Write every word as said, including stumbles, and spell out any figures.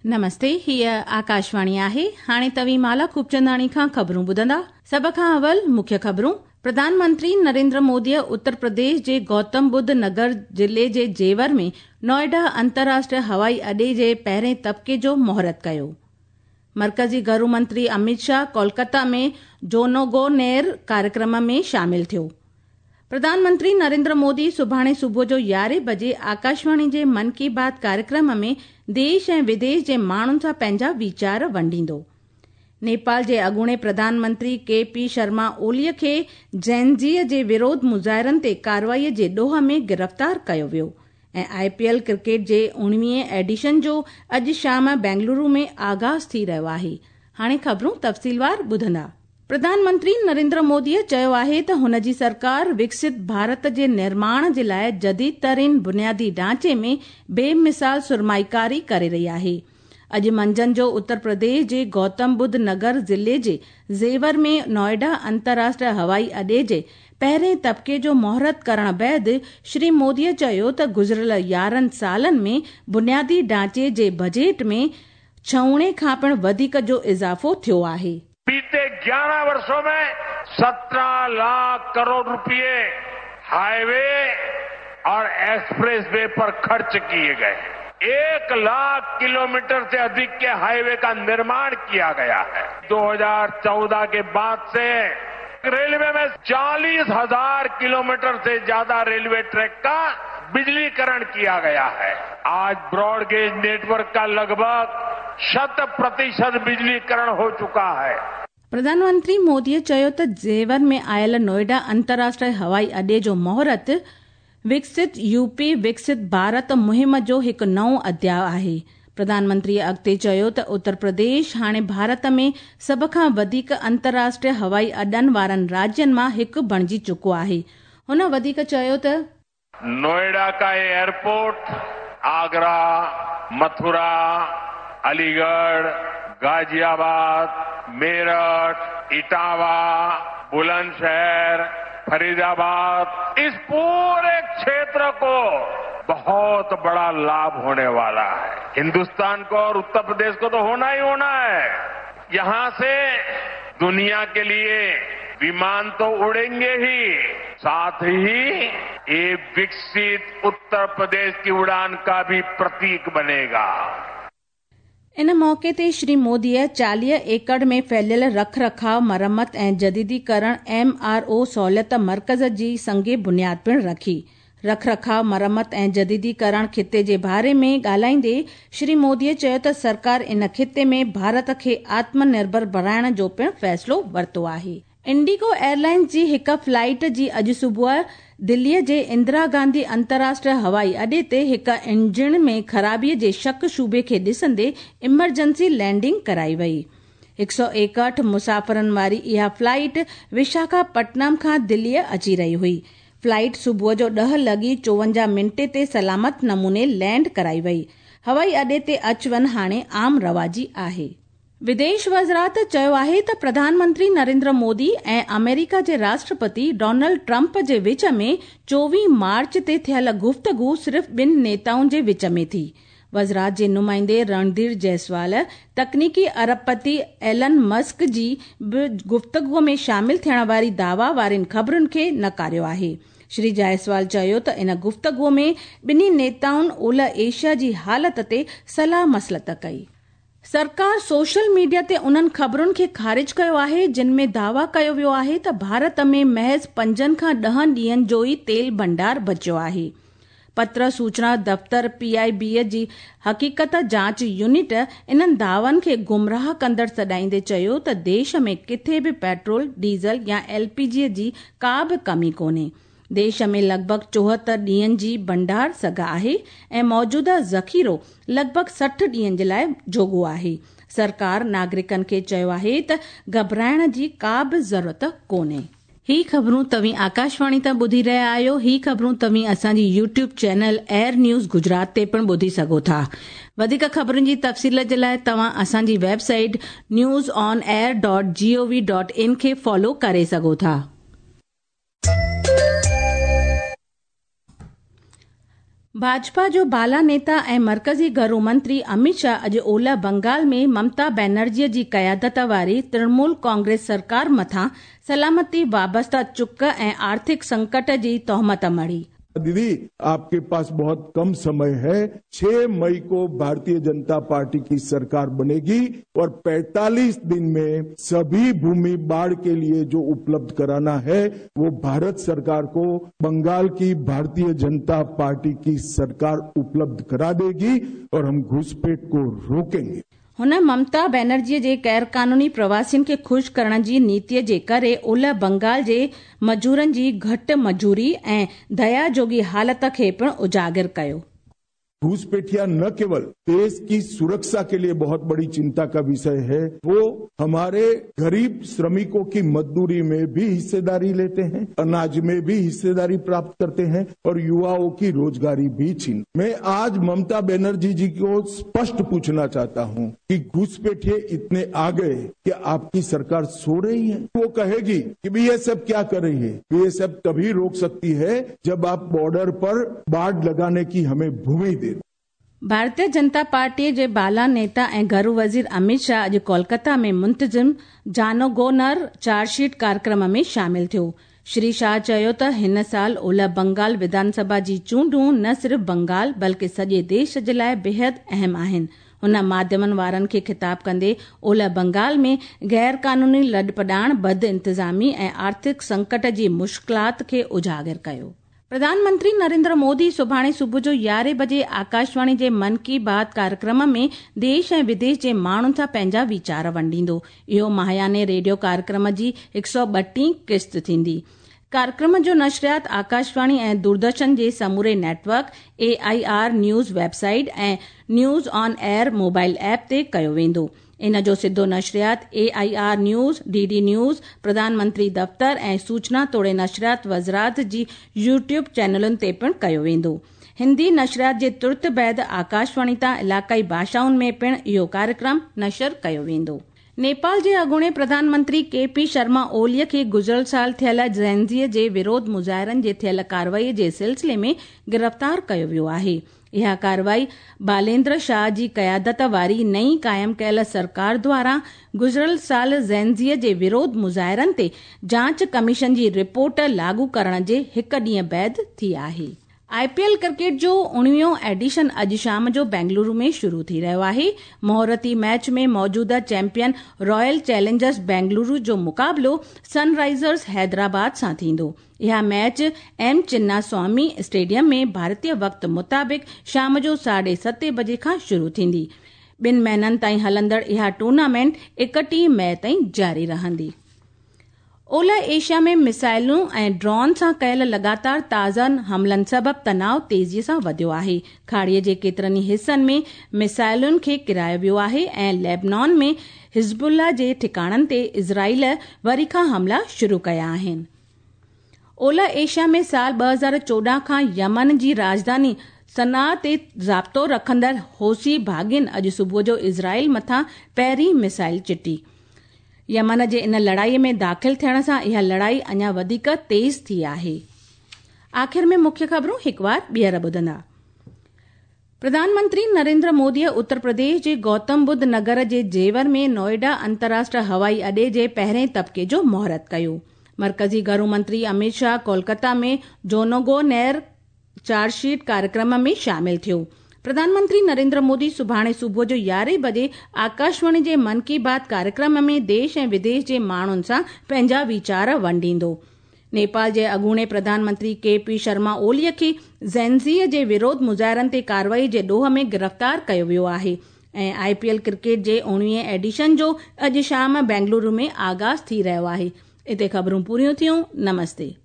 नमस्ते, हीअ आकाशवाणी आहे। हाणे तव्हीं माला खूबचंदाणी खां ख़बरूं ॿुधंदा। सभ खां अवल मुख्य ख़बरूं। प्रधानमंत्री नरेंद्र मोदीअ उत्तर प्रदेश जे गौतम बुद्ध नगर ज़िले जे जेवर में नोएडा अंतर्राष्ट्रीय हवाई अॾे जे पहिरें तबिके जो मुहूर्त कयो। मर्कज़ी घरू मंत्री अमित शाह कोलकाता में जोनोगोनेर कार्यक्रम में शामिल थियो। प्रधानमंत्री नरेंद्र मोदी सुभाणे सुबुह जो यारहें बजे आकाशवाणी जे मन की बात कार्यक्रम में देश ऐं विदेश जे माण्हुनि सां पंहिंजा वीचार वंडींदो। नेपाल जे अॻूणे प्रधानमंत्री के पी शर्मा ओलीअ खे जेनज़ीअ जे विरोध मुज़ाहिरनि ते कार्रवाईअ जे ॾोह में गिरफ़्तार कयो वियो। ऐं I P L cricket जे उणिवीह एडिशन जो अॼु शाम बेंगलुरु में आगाज़ थी रहियो आहे। हाणे ख़बरूं तफ़सीलवार ॿुधंदा। प्रधानमंत्री नरेंद्र मोदीअ चयो आहे त हुन जी सरकार विकसित भारत जे निर्माण जे लाइ जदीद तरीन बुनियादी ढांचे में बेमिसाल सुरमाईकारी करे रही आहे। अॼु मंझंदि जो उत्तर प्रदेश जे गौतम बुद्ध नगर ज़िले जे जेवर में नोएडा अंतर्राष्ट्रीय हवाई अॾे जे पहिरें तबिके जो मुहूर्त करण बाद श्री मोदीअ चयो त गुज़िरियल यारहं सालनि में बुनियादी ढांचे जे बजट में छऊणे खां पिणु वधीक जो इज़ाफ़ो थियो आहे। बीते ग्यारह वर्षों में सत्रह लाख करोड़ रुपए हाईवे और एक्सप्रेसवे पर खर्च किए गए। एक लाख किलोमीटर से अधिक के हाईवे का निर्माण किया गया है। दो हज़ार चौदह के बाद से रेलवे में चालीस हजार किलोमीटर से ज्यादा रेलवे ट्रैक का बिजलीकरण किया गया है। आज ब्रॉडगेज नेटवर्क का लगभग शत प्रतिशत बिजलीकरण हो चुका है। प्रधानमंत्री मोदीअ चयो त जेवर में आयल नोएडा अंतर्राष्ट्रीय हवाई अॾे जो मुहूर्त विकसित यूपी विकसित भारत मुहिम जो हिकु नओं अध्याय आहे। प्रधानमंत्री अॻिते चयो त उत्तर प्रदेश हाणे भारत में सभ खां वधीक अंतर्राष्ट्रीय हवाई अॾनि वारनि राज्यनि मां हिकु बणिजी चुको आहे। हुन वधीक चयो त नोएडा का ये एयरपोर्ट आगरा, मथुरा, अलीगढ़, गाजियाबाद, मेरठ, इटावा, बुलंदशहर, फरीदाबाद, इस पूरे क्षेत्र को बहुत बड़ा लाभ होने वाला है। हिंदुस्तान को और उत्तर प्रदेश को तो होना ही होना है। यहां से दुनिया के लिए विमान तो उड़ेंगे ही, साथ ही ये विकसित उत्तर प्रदेश की उड़ान का भी प्रतीक बनेगा। इन मौक़े ते श्री मोदीअ चालीह एकड़ में फैलियल रख रखाव, मरम्मत ऐं जदीदीकरण एम आर ओ सहूलियत मर्कज़ जी संगे बुनियाद पिणु रखी। रख रखाव, मरम्मत ऐं जदीदीकरण ख़िते जे बारे में ॻाल्हाईंदे श्री मोदीअ चयो त सरकार इन ख़िते में भारत खे आत्मनिर्भर बणाइण जो पिणु फ़ैसिलो वरितो आहे। इंडिगो एयरलाइंस जी हिकु फ्लाइट जी अॼु सुबुह दिल्लीअ जे इंदिरा गांधी अंतर्राष्ट्रीय हवाई अॾे ते हिकु इंजन में ख़राबीअ जे शक शुबे खे ॾिसंदे इमरजेंसी लैंडिंग कराई वई। हिकु सौ एकहठ मुसाफ़िरनि वारी इहा फ्लाइट विशाखापट्टनम खां दिल्लीअ अची रही हुई। फ्लाइट सुबुह जो ॾह लॻी चोवंजाह मिंटे ते सलामत नमूने लैंड कराई वई। हवाई अॾे ते अच वञ हाणे आम रवाजी आहे। विदेश वज़ारत चयो आहे त प्रधानमंत्री नरेंद्र मोदी ऐं अमेरिका जे राष्ट्रपति डोनाल्ड ट्रंप जे विच में चोवीह मार्च ते थियल गुफ़्तगू सिर्फ़ ॿिनि नेताउनि जे विच में थी। वज़ारत जे नुमाइंदे रणधीर जायसवाल तकनीकी अरबपति एलन मस्क जी बि गुफ़्तगूअ में शामिल थियण वारी दावा वारनि ख़बरुनि खे नकारियो आहे। श्री जायसवाल चयो त इन गुफ़्तगूअ में ॿिन्ही नेताउनि ओलह एशिया जी हालत ते सलाह मसलत कई। सरकार सोशल मीडिया ते उन्हनि ख़बरुनि खे ख़ारिज कयो आहे जिन में दावा कयो वियो आहे त भारत में महज़ पंजनि खां ॾहनि ॾींहनि जो ई तेल भंडार बचियो आहे। पत्र सूचना दफ़्तर पी I बी जी हक़ीक़त जांच यूनिट इन्हनि दावनि खे गुमराह कंदड़ सॾाईंदे चयो त देश में किथे बि पेट्रोल, डीज़ल या एल पी जी जी का बि कमी कोन्हे। देश में लॻभॻ चोहतरि ॾींहनि जी भंडार सघ आहे ऐं मौजूदा ज़ख़ीरो लॻभॻ सठि ॾींहनि जे लाइ जोॻो आहे। सरकार नागरिकनि खे चयो आहे त घबराइण जी का बि ज़रूरत कोन्हे। ही ख़बरूं तव्हीं आकाशवाणी तां ॿुधी रहिया आहियो। ही ख़बरूं तव्हीं असांजी YouTube channel air news Gujarat ते पिणु ॿुधी सघो था। वधीक ख़बरुनि जी तफ़सील जे लाइ तव्हां असांजी website news on air dot G O V dot in खे फॉलो करे सघो था। भाजपा जो बाला नेता ऐं मर्कज़ी घरू मंत्री अमित शाह अॼु ओलह बंगाल में ममता बनर्जीअ जी क़यादत वारी तृणमूल कांग्रेस सरकार मथां सलामती वाबस्ता चुक ऐं आर्थिक संकट जी तोहमत मढ़ी। दीदी, आपके पास बहुत कम समय है। छह मई को भारतीय जनता पार्टी की सरकार बनेगी और पैंतालीस दिन में सभी भूमि बाढ़ के लिए जो उपलब्ध कराना है वो भारत सरकार को बंगाल की भारतीय जनता पार्टी की सरकार उपलब्ध करा देगी और हम घुसपैठ को रोकेंगे। हुन ममता बनर्जीअ जे ग़ैर-क़ानूनी प्रवासियुनि खे ख़ुशि करण जी नीतीअ जे करे ओलह बंगाल जे मज़ूरनि जी घटि मज़ूरी ऐं दया जोगी हालत खे पिणु उजागर कयो। घुसपैठिया न केवल देश की सुरक्षा के लिए बहुत बड़ी चिंता का विषय है, वो हमारे गरीब श्रमिकों की मजदूरी में भी हिस्सेदारी लेते हैं, अनाज में भी हिस्सेदारी प्राप्त करते हैं और युवाओं की रोजगारी भी छीन। मैं आज ममता बनर्जी जी को स्पष्ट पूछना चाहता हूं कि घुसपैठिए इतने आ गए कि आपकी सरकार सो रही है। वो कहेगी कि बीएसएफ क्या कर रही है। बीएसएफ तभी रोक सकती है जब आप बॉर्डर पर बाढ़ लगाने की हमें भूमि दे। भारतीय जनता पार्टीअ जे बाला नेता ऐं घरू वज़ीर अमित शाह अॼु कोलकाता में मुंतज़िम जानोगोनर चार्जशीट कार्यक्रम में शामिल थियो। श्री शाह चयो त हिन साल ओलह बंगाल विधानसभा जी चूंडूं न सिर्फ़ बंगाल बल्कि सॼे देश जे लाइ बेहद अहम आहिनि। हुन माध्यमनि वारनि खे ख़िताब कंदे ओलह बंगाल में ग़ैर-क़ानूनी लॾपॾाण, बद इंतज़ामी ऐं आर्थिक संकट जी मुश्किलात खे उजागर कयो। प्रधानमंत्री नरेंद्र मोदी सुभाणे सुबुह जो यारहें बजे आकाशवाणी जे मन की बात कार्यक्रम में देश ऐं विदेश जे माण्हुनि सां पंहिंजा वीचार वंडींदो। इहो माहियाने रेडियो कार्यक्रम जी हिकु सौ ॿटीह क़िस्त थींदी। कार्यक्रम जो नशरियात आकाशवाणी ऐं दूरदर्शन जे समूरे network, A I R news website ऐं news on air mobile app ते कयो वेंदो। इन जो सिधो नशरियात A I R news, D D news, प्रधानमंत्री दफ़्तर ऐं सूचना तोड़े नशरियात वज़ारत जी यूट्यूब चैनलुनि ते पिणु कयो वेंदो। हिंदी नशरियात जे तुर्त बाद आकाशवाणी तां इलाक़ाई भाषाउनि में पिणु इहो कार्यक्रम नशर कयो वेंदो। नेपाल जे अॻूणे प्रधानमंत्री के पी शर्मा ओलीअ खे गुज़िरियल साल थियल जेनज़ीअ जे विरोध मुज़ाहिरनि जे थियल कार्रवाई जे सिलसिले में गिरफ़्तार कयो वियो आहे। इहा कार्रवाई बालेंद्र शाह जी क़यादत वारी नई क़ाइम कयल सरकार द्वारा गुज़िरियल साल जेनज़ीअ जे विरोध मुज़ाहिरनि ते जांच कमीशन जी रिपोर्ट लागू करण जे हिकु ॾींहुं बाद थी आहे। I P L cricket जो उणिवीहों एडिशन अॼु शाम जो बेंगलुरु में शुरू थी रहियो आहे। मुहूर्ती मैच में मौजूदा चैंपियन रॉयल चैलेंजर्स बेंगलुरु जो मुक़ाबिलो सनराइजर्स हैदराबाद सां थींदो। इहा मैच एम चिन्नास्वामी स्टेडियम में भारतीय वक़्त मुताबिक़ शाम जो साढे सते बजे खां शुरू थींदी। ॿिनि महीननि ताईं हलंदड़ इहा टूर्नामेंट एकटीह मई ताईं जारी रहंदी। ओलह एशिया में मिसाइलुनि ऐं ड्रोन सां कयल लगातार ताज़नि हमलनि सबबि तनाव तेज़ीअ सां वधियो आहे। खाड़ीअ जे केतिरनि हिसनि में मिसाइलुनि खे किरायो वियो आहे ऐं लेबनान में हिज़बुल्ला जे ठिकाणनि ते इज़राइल वरी खां हमला शुरू कया आहिनि। ओलह एशिया में साल ॿ हज़ार चोॾहं खां यमन जी राजधानी सना ते ज़ाब्तो रखंदड़ हौसी बाग़ियुनि अॼु सुबुह जो इज़राइल मथां पहिरीं मिसाइल चिटी। यमन जे इन लड़ाई में दाख़िल थियण सां इहा लड़ाई अञा वधीक तेज़ थी आहे। आख़िर में मुख्य ख़बरूं हिकु बार ॿीहर ॿुधंदा। प्रधानमंत्री नरेंद्र मोदीअ उत्तर प्रदेश जे गौतम बुद्ध नगर जे जेवर में नोएडा अंतर्राष्ट्रीय हवाई अॾे जे पहिरें तबिके जो मुहूर्त कयो। मर्कज़ी घरू मंत्री अमित शाह कोलकाता में जोनोगोनेर चार्जशीट कार्यक्रम में शामिल थियो। प्रधानमंत्री नरेंद्र मोदी सुभाणे सुबुह जो यारहें बजे आकाशवाणी जे मन की बात कार्यक्रम में देश ऐं विदेश जे माण्हुनि सां पंहिंजा वीचार वंडींदो। नेपाल जे अॻूणे प्रधानमंत्री के पी शर्मा ओलीअ खे जेनज़ीअ जे विरोध मुज़ाहिरनि ते कार्रवाई जे ॾोह में गिरफ़्तार कयो वियो आहे ऐं I P L cricket जे उणिवीह एडिशन जो अॼु शाम बेंगलुरु में आगाज़ थी रहियो आहे। हिते ख़बरूं पूरियूं थियूं। नमस्ते।